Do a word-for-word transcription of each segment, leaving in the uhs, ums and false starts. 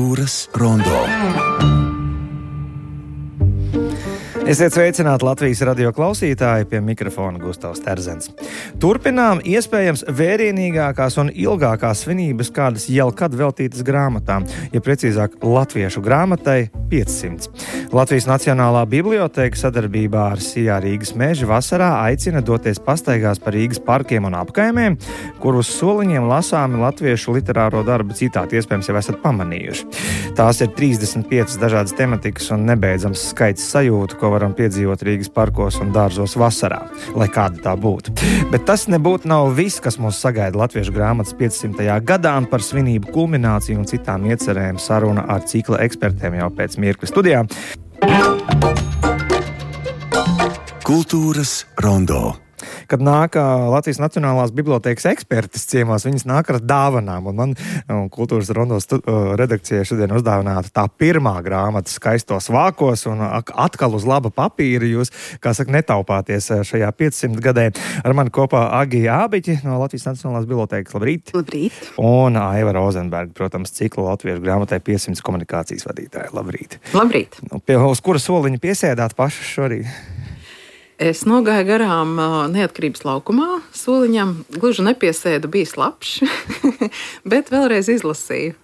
Kultūras rondo. Esiet sveicināti Latvijas radio klausītāji, pie mikrofona Gustavs Terzens. Turpinām iespējams vērienīgākās un ilgākās svinības, kādas jau kad veltītas grāmatām, ja precīzāk latviešu grāmatai piecsimt. Latvijas Nacionālā bibliotēka sadarbībā ar Sijā Rīgas meži vasarā aicina doties pastaigās pa Rīgas parkiem un apkaimēm, kur uz soliņiem lasāmi latviešu literāro darbu citāti, iespējams jau esat pamanījuši. Tās ir trīsdesmit piecas dažādas tematikas un nebeidzams skaits sajūtu, ko varam piedzīvot Rīgas parkos un dārzos vasarā, lai kāda tā būtu. Bet tas nebūtu nav viss, kas mūs sagaida latviešu grāmatas piecsimtajā gadā, un par svinību kulmināciju un citām iecerēm saruna ar cikla ekspertiem jau pēc mirkļa studijā. Kultūras rondo. Kad nāk Latvijas Nacionālās bibliotēkas ekspertis ciemos, viņas nāk ar dāvanām, un man un Kultūras rondo stu, redakcijai šodien uzdāvināta tā pirmā grāmata Skaistos vākos, un atkal uz laba papīra jūs, kā saka, netaupāties šajā piecsimt gadē. Ar mani kopā Agija Ābiķi no Latvijas Nacionālās bibliotēkas. Labrīt! Labrīt! Un Aiva Rozenberga, protams, cikla latviešu grāmatai piecsimt komunikācijas vadītāja. Labrīt! Labrīt! Pie, uz kura soliņa piesēdāt paši šorīt? Es nogāju garām Neatkarības laukumā soliņam, gluži nepiesēdu, bija slapšs, bet vēlreiz izlasīju.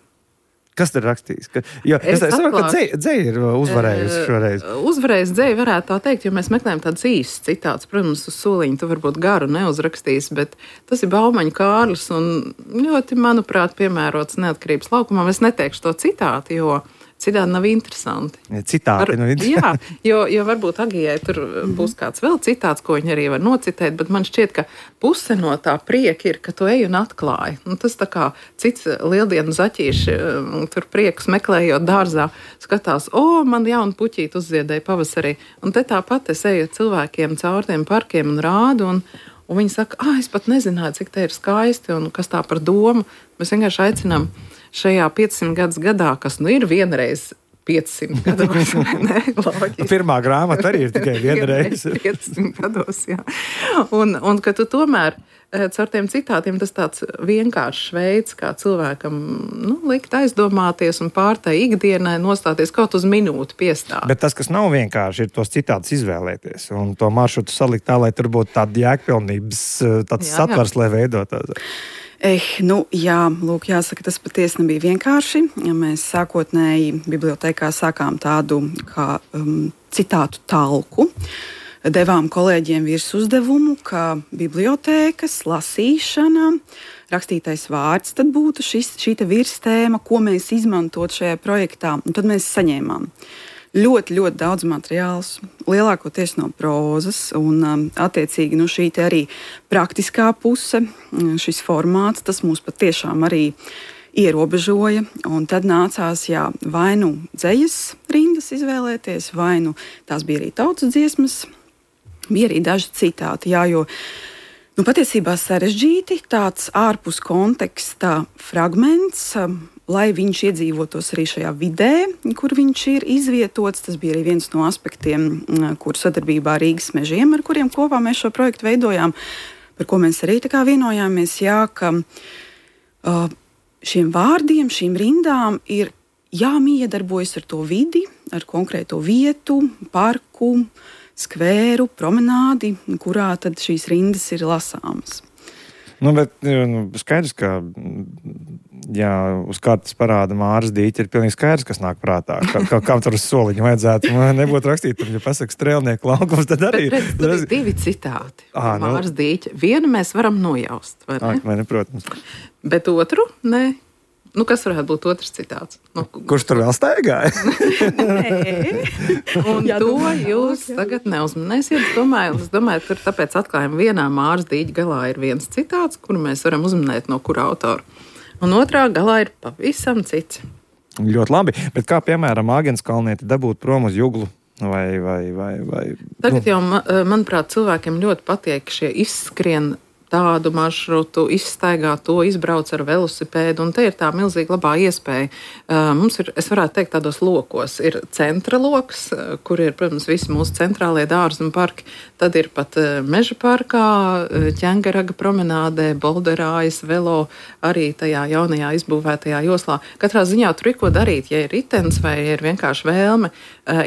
Kas tur rakstījis? Ka, jo, es es saprotu, ka dzeja, dzeja ir uzvarējusi šoreiz. Uzvarējusi dzeja, varētu tā teikt, jo mēs meklējam tādas īstas citāts. Protams, uz soliņa tu varbūt garu neuzrakstīs, bet tas ir Baumaņa Kārlis un ļoti, manuprāt, piemērots Neatkarības laukumā. Es neteikšu to citāti, jo citādi nav interesanti. Citāti nav interesanti. Jā, jo, jo varbūt Agijai tur būs kāds vēl citāts, ko viņi arī var nocitēt, bet man šķiet, ka puse no tā prieka ir, ka tu ej un atklāji. Un tas tā kā cits lieldienu zaķīši, tur priekus meklējot dārzā, skatās, o, man jauna puķīte uzziedēja pavasarī. Un te tāpat es eju cilvēkiem caur tiem parkiem un rādu, un, un viņi saka, ah, es pat nezināju, cik te ir skaisti un kas tā par domu. Mēs vienkārši aicinām šajā piecsimt gadus gadā, kas nu ir vienreiz piecsimt gados, ne? Loģiski. Pirmā grāmata arī ir tikai vienreiz. piecsimt gados, jā. Un, un ka tu tomēr caur tiem citātiem tas tāds vienkāršs veids, kā cilvēkam nu, likt aizdomāties un pārtai ikdienai nostāties kaut uz minūti piestāt. Bet tas, kas nav vienkārši, ir tos citātus izvēlēties un to maršrutu salikt tā, lai tur būtu tāda jēgpilnības tāds jā, satvars, jā. Lai veidotās. Eh, nu, jā, lūk, jāsaka, tas patiesi nebija vienkārši. Ja mēs sākotnēji bibliotēkā sākām tādu kā um, citātu talku, devām kolēģiem virs uzdevumu, ka bibliotēkas lasīšana, rakstītais vārds, tad būtu šis, šī te virstēma, ko mēs izmantot šajā projektā. Un tad mēs saņēmām ļoti, ļoti daudz materiālus, lielākoties no prozas, un um, attiecīgi nu, šī te arī praktiskā puse, šis formāts, tas mūs patiešām arī ierobežoja, un tad nācās, jā, vai nu dzejas rindas izvēlēties, vai nu tās bija arī tautas dziesmas, bija arī daži citāti, jā, jo nu, patiesībā sarežģīti tāds ārpus konteksta fragments, lai viņš iedzīvotos arī šajā vidē, kur viņš ir izvietots. Tas bija arī viens no aspektiem, kur sadarbībā ar Rīgas mežiem, ar kuriem kopā mēs šo projektu veidojām, par ko mēs arī tā kā vienojāmies, jā, ka uh, šiem vārdiem, šīm rindām ir jāmiedarbojas ar to vidi, ar konkrēto vietu, parku, skvēru, promenādi, kurā tad šīs rindas ir lasāmas. Nu, bet nu, skaidrs, ka jā, uz kartes parāda Māras dīķi, ir pilnīgi skaidrs, kas nāk prātā. Kā, kā, kā tur uz soliņu vajadzētu. Man nebūtu rakstīt, tur, ja pasaka strēlnieku laukums, tad arī... Bet, bet, tur ir divi citāti. À, Māras nu... dīķi. Vienu mēs varam nojaust, vai ne? À, vai ne, protams. Bet otru, nē. Nu, kas varētu būt otrs citāts? Nu, kurš tur vēl staigāja? Nē, un jā, to jūs tagad neuzmanēsiet. Es domāju, es domāju, tur tāpēc atklājam vienā Māras dīķa galā ir viens citāts, kuru mēs varam uzmanēt no kura autora. Un otrā galā ir pavisam cits. Ļoti labi, bet kā piemēram Āgenskalnieti dabūt prom uz Juglu? Vai, vai, vai, vai, Tagad nu. Jau, manuprāt, cilvēkiem ļoti patīk šie izskrien tādu maršrutu, izstaigā to, izbrauc ar velosipēdu, un te ir tā milzīga labā iespēja. Mums ir, es varētu teikt, tādos lokos. Ir centra loks, kur ir, protams, visi mūsu centrālie dārzi un parki. Tad ir pat meža parkā, Ķengaraga promenādē, Bolderājas, Velo, arī tajā jaunajā izbūvētajā joslā. Katrā ziņā tur ir ko darīt, ja ir ritens vai ir vienkārši vēlme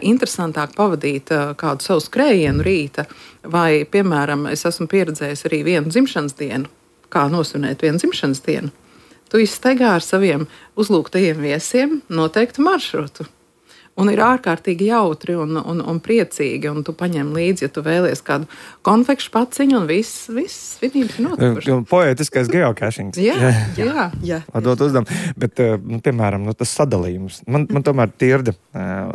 interesantāk pavadīt kādu savu skrējienu rīta. Vai, piemēram, es esmu pieredzējis arī vienu dzimšanas dienu, kā nosvinēt vienu dzimšanas dienu. Tu izstaigā ar saviem uzlūgtajiem viesiem noteiktu maršrutu. Un ir ārkārtīgi jautri un, un, un priecīgi, un tu paņem līdzi, ja tu vēlies kādu konfekšu paciņu, un viss, viss svinības ir notikušas. Poētiskais geocachings. Jā, jā, jā. jā. Dot uzdevums. Bet, nu, piemēram, nu, tas sadalījums. Man, man tomēr tirda.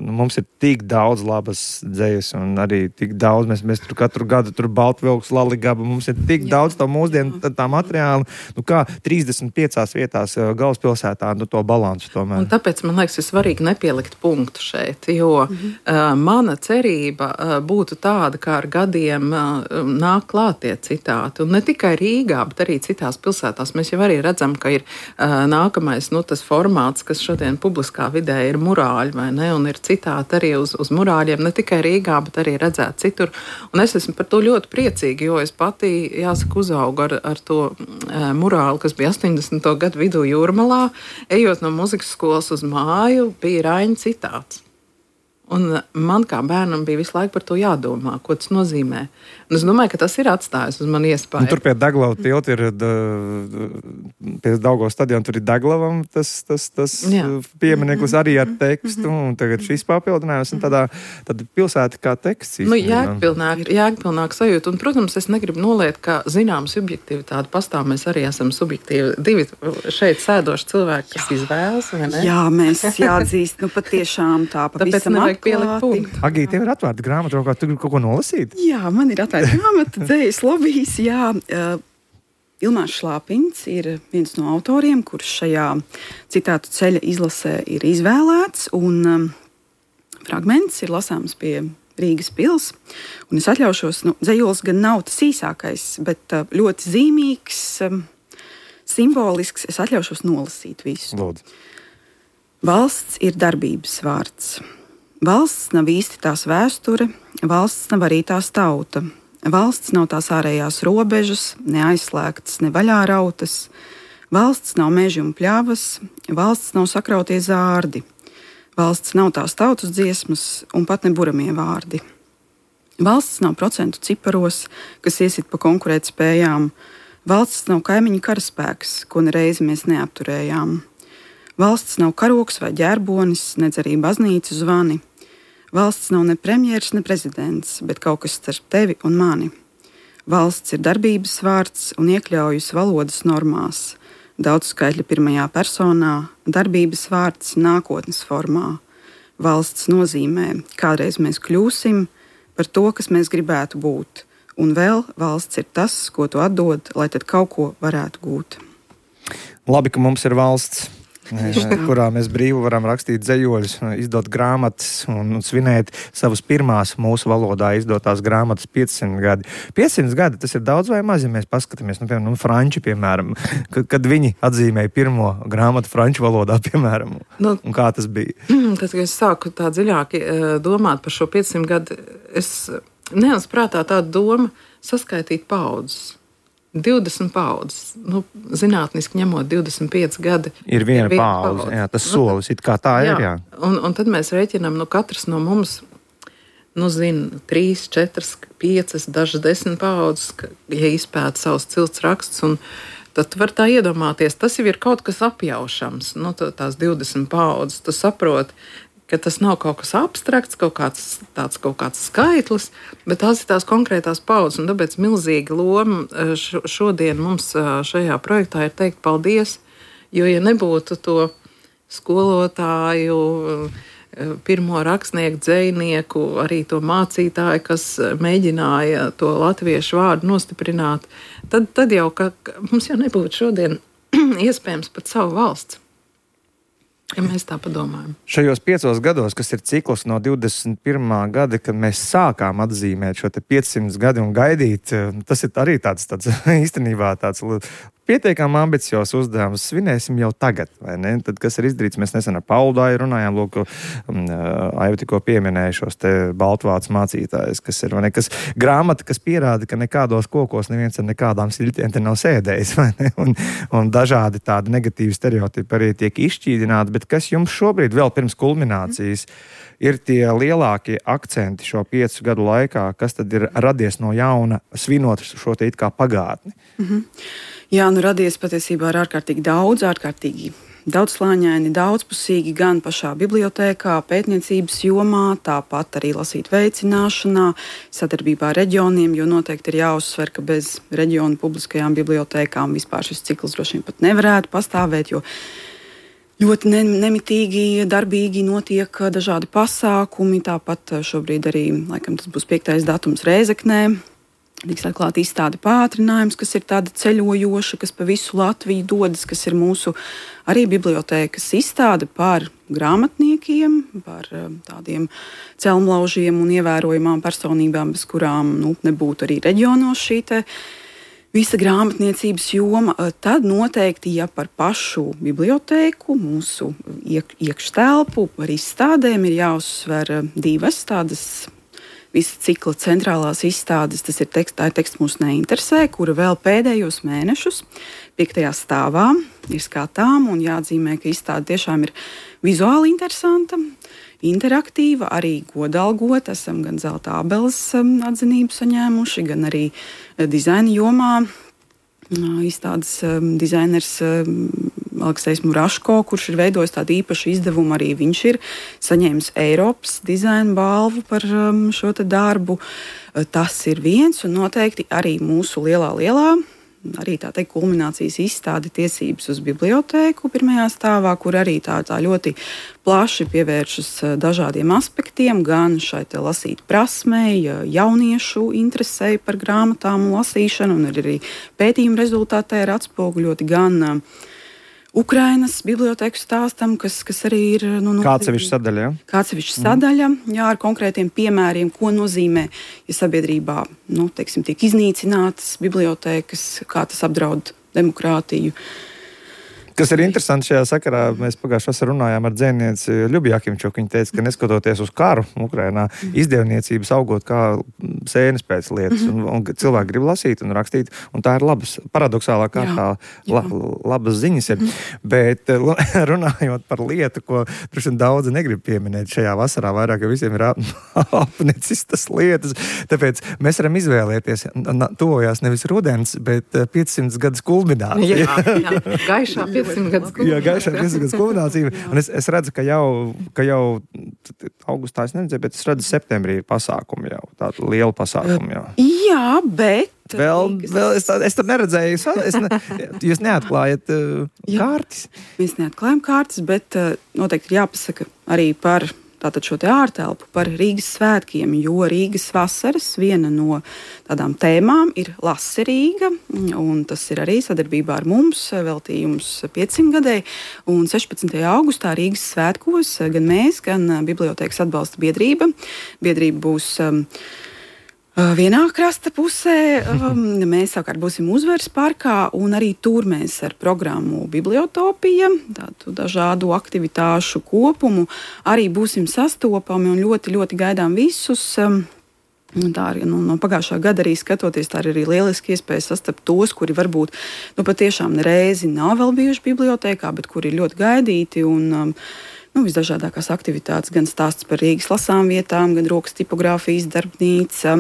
Nu, mums ir tik daudz labas dzejas, un arī tik daudz, mēs, mēs tur katru gadu tur Baltvilks, Laligaba, mums ir tik jā. Daudz tā mūsdienu tā, tā materiāla, nu kā trīsdesmit piecās vietās galvaspilsētā, nu to balansu tomēr. Un tāpēc, man liekas, ir svarīgi nepielikt punktu šeit, jo mm-hmm. uh, mana cerība uh, būtu tāda, kā ar gadiem uh, nāk klāt tie citāti. Un ne tikai Rīgā, bet arī citās pilsētās. Mēs jau arī redzam, ka ir uh, nākamais, nu, tas formāts, kas šodien publiskā vidē ir murāļi, vai ne? Un ir citāti arī uz, uz murāļiem, ne tikai Rīgā, bet arī redzēt citur. Un es esmu par to ļoti priecīgi, jo es pati, jāsaka, uzaugu ar, ar to uh, murāli, kas bija astoņdesmito gadu vidū Jūrmalā. Ejot no muzikas skolas uz māju, bija Raņa citāts. Un man kā bērnam bija visu laiku par to jādomā, ko tas nozīmē. Un es domāju, ka tas ir atstājis uz mani iespēju. Un tur pie Daglava tilta ir, da, pie Daugavas stadiona, tur ir Daglavam tas, tas, tas piemineklis arī ar tekstu, un tagad šis papildinājums, un tādā, tādā pilsēta kā teksts. Nu, jēgpilnāk, jēgpilnāk sajūta. Un, protams, es negribu noliet, ka zinām subjektivitāte pastāv, mēs arī esam subjektīvi. Divi šeit sēdoši cilvēki, kas izvēlas, vai ne? Jā, mēs jāatzīst, nu patiešām tā pavisam atklāti. Agī, tev ir atvērta grāmata, kā tu kaut ko nolasīt? Jā, man ir atvērta grāmata, dzējas lobijs, jā. Uh, Ilmārs Šlāpiņš ir viens no autoriem, kurš šajā citātu ceļa izlasē ir izvēlēts, un um, fragments ir lasāms pie Rīgas pils. Un es atļaušos, nu, dzējols gan nav tas īsākais, bet uh, ļoti zīmīgs, um, simbolisks. Es atļaušos nolasīt visu. Lūdzu. Valsts ir darbības vārds. Valsts nav īsti tās vēsture, valsts nav arī tās tauta. Valsts nav tās ārējās robežas, ne aizslēgtas, ne vaļā rautas. Valsts nav meži un pļavas, valsts nav sakrautie zārdi. Valsts nav tās tautas dziesmas un pat ne buramie vārdi. Valsts nav procentu ciparos, kas iesit pa konkurētspējām. Valsts nav kaimiņu karaspēks, ko nereizi mēs neapturējām. Valsts nav karoks vai ģērbonis, nedz arī baznīcu zvani. Valsts nav ne premjers, ne prezidents, bet kaut kas starp tevi un mani. Valsts ir darbības vārds un iekļaujas valodas normās. Daudzskaitļa pirmajā personā, darbības vārds nākotnes formā. Valsts nozīmē, kādreiz mēs kļūsim par to, kas mēs gribētu būt. Un vēl valsts ir tas, ko tu atdod, lai tad kaut ko varētu gūt. Labi, ka mums ir valsts, kurā mēs brīvi varam rakstīt dzejoļus, izdot grāmatas un svinēt savas pirmās mūsu valodā izdotās grāmatas piecsimt gadi. piecsimt gadi, tas ir daudz vai maz, ja mēs paskatāmies, nu, piemēram, franči, piemēram, kad, kad viņi atzīmēja pirmo grāmatu franču valodā, piemēram, nu, un kā tas bija. Tad, kad es sāku tā dziļāki domāt par šo piecsimt gadu, es neesmu prātā tāda doma saskaitīt paudzes. divdesmit paudzes, nu, zinātniski ņemot divdesmit pieci gadi. Ir viena, ir viena paudze, paudze. Jā, tas solis, it kā tā jā, ir, jā. Un, un tad mēs rēķinām, nu, katrs no mums, nu, zina, trīs, četras, piecas, dažas desmit paudzes, ja izpēta savus cilts rakstus, un tad tu var tā iedomāties, tas jau ir kaut kas apjaušams, nu, tās divdesmit paudzes, tu saproti, ka tas nav kaut kas abstrakts, kaut kāds, tāds kaut kāds skaitlis, bet tās ir tās konkrētās paudzes, un tāpēc milzīga loma šodien mums šajā projektā ir teikt paldies, jo, ja nebūtu to skolotāju, pirmo rakstnieku, dzejnieku, arī to mācītāju, kas mēģināja to latviešu vārdu nostiprināt, tad, tad jau, ka mums jau nebūtu šodien iespējams pat savu valsts. Ja mēs tā padomājam. Šajos piecos gados, kas ir cikls no divdesmit pirmā gada, kad mēs sākām atzīmēt šo te piecsimt gadi un gaidīt, tas ir arī tāds, tāds īstenībā tāds pietiekami ambiciozs uzdevums. Svinēsim jau tagad, vai ne? Tad, kas ir izdarīts, mēs nesen ar Paulu Dāju runājām, lūk, Aiva tikko pieminēja šos te baltvācu mācītājus, kas ir, vai ne, kas grāmata, kas pierāda, ka nekādos kokos neviens ar nekādām siļķiem te nav sēdējis, vai ne? Un, un dažādi tādi negatīvi stereotipi arī tiek izšķīdināti, bet kas jums šobrīd vēl pirms kulminācijas ir tie lielākie akcenti šo piecu gadu laikā, kas tad ir radies no jauna, svinot šo te it kā pagātni? Mhm. Jā, nu radies patiesībā ar ārkārtīgi daudz, ārkārtīgi daudzslāņaini, daudzpusīgi gan pašā bibliotēkā, pētniecības jomā, tāpat arī lasīt veicināšanā, sadarbībā ar reģioniem, jo noteikti ir jāuzsver, ka bez reģionu publiskajām bibliotēkām vispār šis cikls droši vien pat nevarētu pastāvēt, jo ļoti nemitīgi, darbīgi notiek dažādi pasākumi, tāpat šobrīd arī, laikam tas būs piektais datums Rēzeknē, tiks atklāta izstāde pātrinājums, kas ir tāda ceļojoša, kas pa visu Latviju dodas, kas ir mūsu arī bibliotēkas izstāde par grāmatniekiem, par tādiem celmlaužiem un ievērojamām personībām, bez kurām nu, nebūtu arī reģionos šī te visa grāmatniecības joma. Tad noteikti, ja par pašu bibliotēku, mūsu iek, iekštelpu, par izstādēm ir jāuzsver divas tādas visa cikla centrālās izstādes, tas ir teksts, tā ir teksts mūs neinteresē, kura vēl pēdējos mēnešus piektajā stāvā ir skatām un jāatzīmē, ka izstāde tiešām ir vizuāli interesanta, interaktīva, arī godalgota. Esam gan zelta abeles atzinību saņēmuši, gan arī dizaina jomā. Izstādes dizainers Aleksejs Muraško, kurš ir veidojis tādu īpašu izdevumu, arī viņš ir saņēmis Eiropas dizaina balvu par šo te darbu. Tas ir viens, un noteikti arī mūsu lielā, lielā, arī tā teikt, kulminācijas izstāde tiesības uz bibliotēku pirmajā stāvā, kur arī tā, tā ļoti plaši pievēršas dažādiem aspektiem, gan šai te lasīt prasmei, jauniešu interesei par grāmatām un lasīšanu, un arī pētījuma rezultātē ir atspoguļoti gan Ukrainas bibliotēku stāstam, kas, kas arī ir nu, nu, kāds sevišķa sadaļa, ja? Kāds sevišķa sadaļa, jā, ar konkrētiem piemēriem, ko nozīmē, ja sabiedrībā, nu, teiksim, tiek iznīcinātas bibliotēkas, kā tas apdraud demokrātiju. Kas ir interesanti šajā sakarā, mēs pagājušajā vasarā runājām ar dzēnieci Ļubiju Jakimčuku. Viņa teica, ka neskatoties uz karu Ukrainā, izdevniecības augot kā sēnes pēc lietas, un, un cilvēki grib lasīt un rakstīt, un tā ir labas, paradoxālā kārtā la, labas ziņas ir. Bet runājot par lietu, ko droši vien daudzi negrib pieminēt šajā vasarā, vairāk, jo visiem ir apnicis tas lietas, tāpēc mēs varam izvēlēties, tuvojās nevis rudens, bet piecsimt gadus kulminācija. Jā, jā, gaišā piecsimt gadus kulminācija. Jā, gaišā piecsimt gadus kulminācija. Un es, es redzu, ka jau, ka jau augustā es neredzēju, bet es redzu septembrī ir pasākumi jau, tādu lielu pasākumu jau. Jā, bet Vēl, vēl es, es tur neredzēju, es ne, jūs neatklājat uh, kārtas. Mēs neatklājam kārtas, bet uh, noteikti ir jāpasaka arī par tātad šo te ārtelpu, par Rīgas svētkiem, jo Rīgas vasaras viena no tādām tēmām ir Lase Rīga, un tas ir arī sadarbībā ar mums veltījums piecsimt gadēji, un sešpadsmitajā augustā Rīgas svētkos gan mēs, gan Bibliotēkas atbalsta biedrība. Biedrība būs um, vienā krasta pusē, um, mēs savukārt būsim Uzvaras parkā, un arī tur mēs ar programmu Bibliotopija, tādu dažādu aktivitāšu kopumu, arī būsim sastopami un ļoti, ļoti gaidām visus. Um, Tā arī nu, no pagājušā gada arī skatoties, tā ir arī lieliski iespēja sastapt tos, kuri varbūt nu, patiešām reizi nav vēl bijuši bibliotēkā, bet kuri ir ļoti gaidīti un um, nu, visdažādākās aktivitātes, gan stāsts par Rīgas lasām vietām, gan rokas tipogrāfijas darbnīca.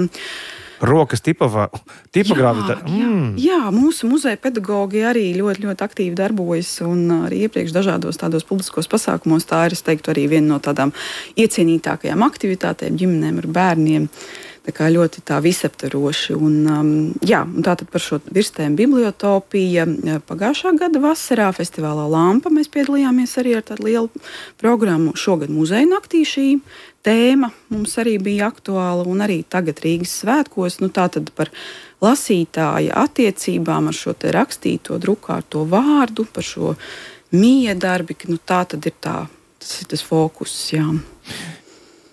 Rokas tipogrāfija. Jā, mm. jā, mūsu muzeja pedagogi arī ļoti, ļoti aktīvi darbojas un arī iepriekš dažādos tādos publiskos pasākumos. Tā ir, es teiktu, arī viena no tādām iecienītākajām aktivitātēm ģimenēm ar bērniem. Tā kā ļoti tā visaptveroši. Un, um, jā, un tātad par šo virstēm Bibliotopija pagājušā gada vasarā festivālā Lampa mēs piedalījāmies arī ar tādu lielu programmu. Šogad muzeja naktī šī tēma mums arī bija aktuāla un arī tagad Rīgas svētkos. Nu, tātad par lasītāja attiecībām ar šo te rakstīto, drukāto vārdu, par šo miedarbi, ka nu, tā tad ir tā, tas ir tas fokus, jā.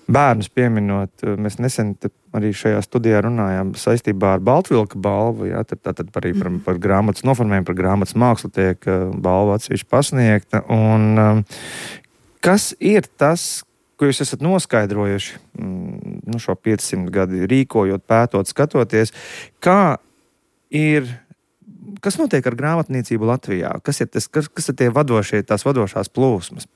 Bērnus pieminot, mēs nesen arī šajā studijā runājām saistībā ar Baltvilka balvu, jā, tad, tad arī par, par grāmatas noformējumu, par grāmatas mākslu tiek balva atsevišķi pasniegta. Un kas ir tas, ko jūs esat noskaidrojuši nu, šo piecsimt gadi rīkojot, pētot, skatoties, kā ir, kas notiek ar grāmatniecību Latvijā? Kas ir, tas, kas, kas ir tie vadošie, tās vadošās plūsmas?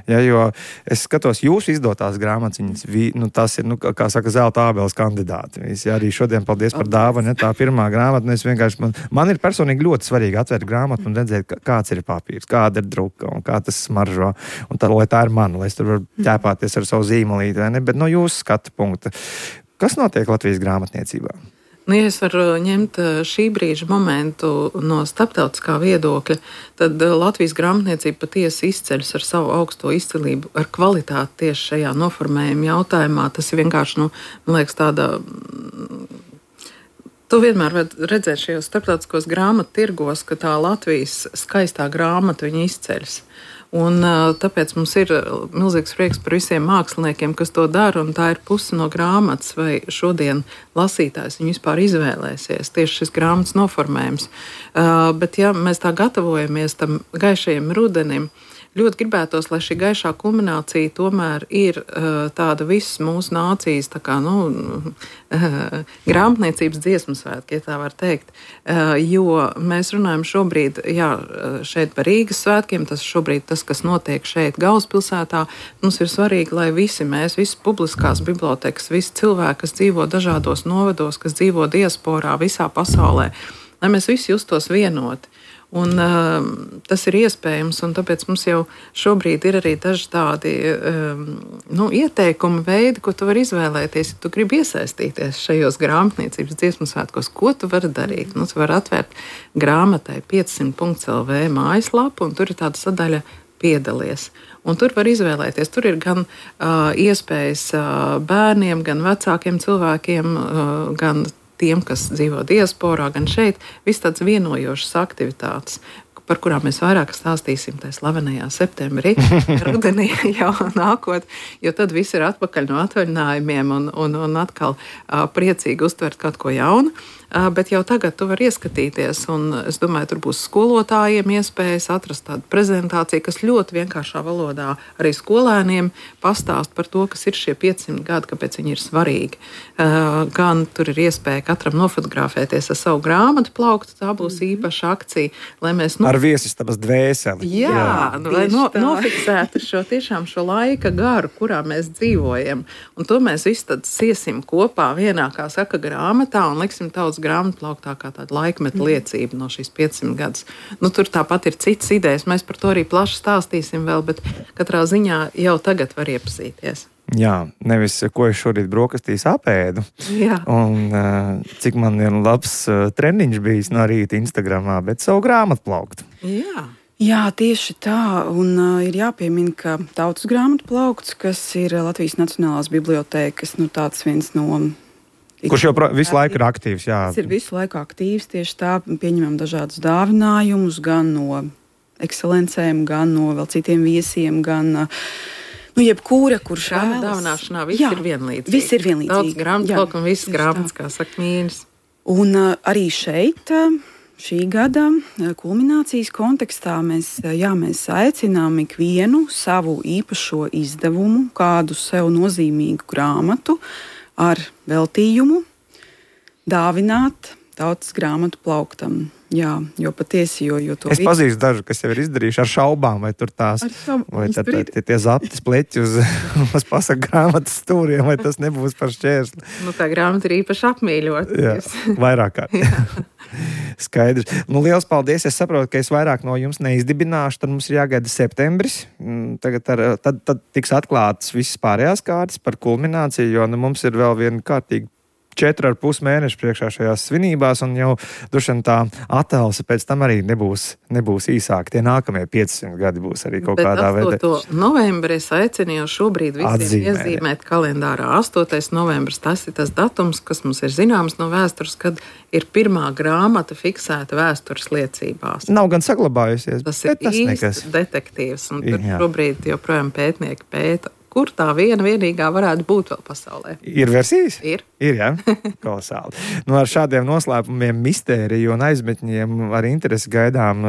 Ja, jo es skatos jūsu izdotās grāmatiņas, nu, tas ir, nu, kā saka, zelta ābeles kandidāti. Ja, arī šodien paldies par dāvanu, ja, tā pirmā grāmata, es vienkārši, man, man ir personīgi ļoti svarīgi atvērt grāmatu un redzēt, kāds ir papīrs, kāda ir druka un kā tas smaržo. Un tā, lai tā ir mana, lai es tur varu ķēpāties ar savu zīmolīti, vai ne? Bet no jūsu skatu punkta, kas notiek Latvijas grāmatniecībā? Nu, ja es varu ņemt šī brīža momentu no starptautiskā viedokļa, tad Latvijas grāmatniecība patiesi izceļas ar savu augsto izcilību, ar kvalitāti tieši šajā noformējuma jautājumā. Tas ir vienkārši, nu, man liekas, tāda... Tu vienmēr var redzēt šajos starptautiskos grāmatu tirgos, ka tā Latvijas skaistā grāmata viņa izceļas. Un tāpēc mums ir milzīgs prieks par visiem māksliniekiem, kas to dara, un tā ir puse no grāmatas, vai šodien lasītājs viņu vispār izvēlēsies, tieši šis grāmatas noformējums. Uh, bet ja mēs tā gatavojamies tam gaišajam rudenim, ļoti gribētos, lai šī gaišā kulminācija tomēr ir uh, tāda visas mūsu nācijas, tā kā, nu, uh, grāmatniecības dziesmu svētki, ja tā var teikt, uh, jo mēs runājam šobrīd, jā, šeit par Rīgas svētkiem, tas šobrīd tas, kas notiek šeit Galvaspilsētā, mums ir svarīgi, lai visi mēs, visi publiskās bibliotekas, visi cilvēki, kas dzīvo dažādos novados, kas dzīvo diasporā visā pasaulē, lai mēs visi justos vienoti. Un, uh, tas ir iespējams, un tāpēc mums jau šobrīd ir arī daži tādi um, nu, ieteikumi veidi, ko tu vari izvēlēties, ja tu gribi iesaistīties šajos grāmatniecības dziesmu svētkos. Ko tu vari darīt? Nu, tu vari atvērt grāmatai piecsimt punkts el vē mājaslapu, un tur ir tāda sadaļa piedalies. Un tur var izvēlēties. Tur ir gan uh, iespējas uh, bērniem, gan vecākiem cilvēkiem, uh, gan tiem, kas dzīvo diasporā, gan šeit, viss tāds vienojošas aktivitātes, par kurām mēs vairāk stāstīsim tajā slavenajā septembrī, rudenī jau nākot, jo tad viss ir atpakaļ no atvaļinājumiem un, un, un atkal uh, priecīgi uztvert kaut ko jaunu. Uh, bet jau tagad tu vari ieskatīties, un es domāju, tur būs skolotājiem iespējas atrast tādu prezentāciju, kas ļoti vienkāršā valodā arī skolēniem pastāst par to, kas ir šie piecsimt gadi, kāpēc viņi ir svarīgi. Uh, gan tur ir iespēja katram nofotografēties ar savu grāmatu plauktu, tā būs īpaša akcija, lai mēs... Nu, ar viesistabas dvēseli. Jā, jā. Nu, lai no, nofiksētu šo tiešām šo laika garu, kurā mēs dzīvojam. Un to mēs visi tad siesim kopā vienā, kā saka, grāmatā un liksim tautas grāmatplauktā kā tāda laikmeta liecība no šīs piecsimt gadus. Nu, tur tāpat ir citas idejas, mēs par to arī plaši stāstīsim vēl, bet katrā ziņā jau tagad var iepazīties. Jā, nevis, ko es šorīt brokastīs apēdu. Jā. Un uh, cik man ir labs uh, treniņš bijis no rīta Instagramā, bet savu grāmatplauktu. Jā. Jā, tieši tā, un uh, ir jāpiemina, ka tautas grāmatplaukts, kas ir Latvijas Nacionālās bibliotēkas, nu tāds viens no... Kurš jau visu laiku ir aktīvs, jā. Tas ir visu laiku aktīvs, tieši tā, pieņemam dažādus dāvinājumus, gan no ekscelencēm, gan no vēl citiem viesiem, gan... Nu, jebkura, kurš šāda vēlas. Dāvināšanā viss jā, ir vienlīdzīgi. Viss ir vienlīdzīgi. Daudz grāmatplauk un visas grāmatas, kā saka mīnis. Un uh, arī šeit, uh, šī gada uh, kulminācijas kontekstā, mēs, uh, jā, mēs aicinām ikvienu savu īpašo izdevumu, kādu sev nozīmīgu grāmatu ar veltījumu dāvināt tautas grāmatu plauktam. Jā, jo patiesi, jo, jo to... Es pazīstu dažu, kas jau ir izdarījuši ar šaubām, vai tur tās, vai tā, tā, tie, tie zaptis pleķi uz, uz pasaku grāmatas stūriem, vai tas nebūs par šķērsli. Nu, tā grāmata ir īpaši apmīļot. Jā, vairāk kārt. Skaidrs. Nu, liels paldies. Es saprotu, ka es vairāk no jums neizdibināšu, tad mums ir jāgaida septembris. Tagad ar, tad, tad tiks atklātas visas pārējās kārtas par kulmināciju, jo nu, mums ir vēl viena kārtīga četri ar pus mēneši priekšā šajās svinībās, un jau dušan tā attēlse pēc tam arī nebūs, nebūs īsāk. Tie nākamie piecsimt gadi būs arī kaut Bet kādā veidā. astoto novembri es aicinu jau šobrīd visiem Atzīmēt. iezīmēt kalendārā. astotais novembris, tas ir tas datums, kas mums ir zināms no vēstures, kad ir pirmā grāmata fiksēta vēstures liecībās. Nav gan saglabājusies, Tas ir bet tas īsts nekas. detektīvs, un tur Jā. šobrīd joprojām pētnieki pēta, kur tā viena vienīgā varētu būt vēl pasaulē. Ir versijas? Ir. Ir, jā, kolosāli. Nu, ar šādiem noslēpumiem, mistēriju un aizmetņiem ar interesi gaidām,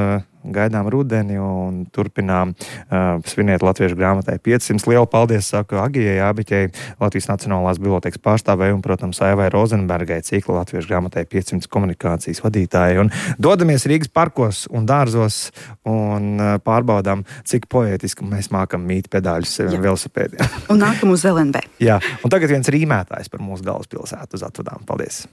gaidām rudeni un turpinām uh, svinēt Latviešu grāmatai piecsimt. Lielu paldies saku Agijai Ābiķei, Latvijas Nacionālās bibliotēkas pārstāvēju un, protams, Aivai Rozenbergai, cikla Latviešu grāmatai piecsimt komunikācijas vadītāji. Un dodamies Rīgas parkos un dārzos un uh, pārbaudām, cik poētiski mēs mākam mīt pedāļus saviem velosipēdiem. Un nākam uz L N B. Jā, un tagad viens rīmētājs par mūsu galvaspilsētu uz atvadām. Paldies!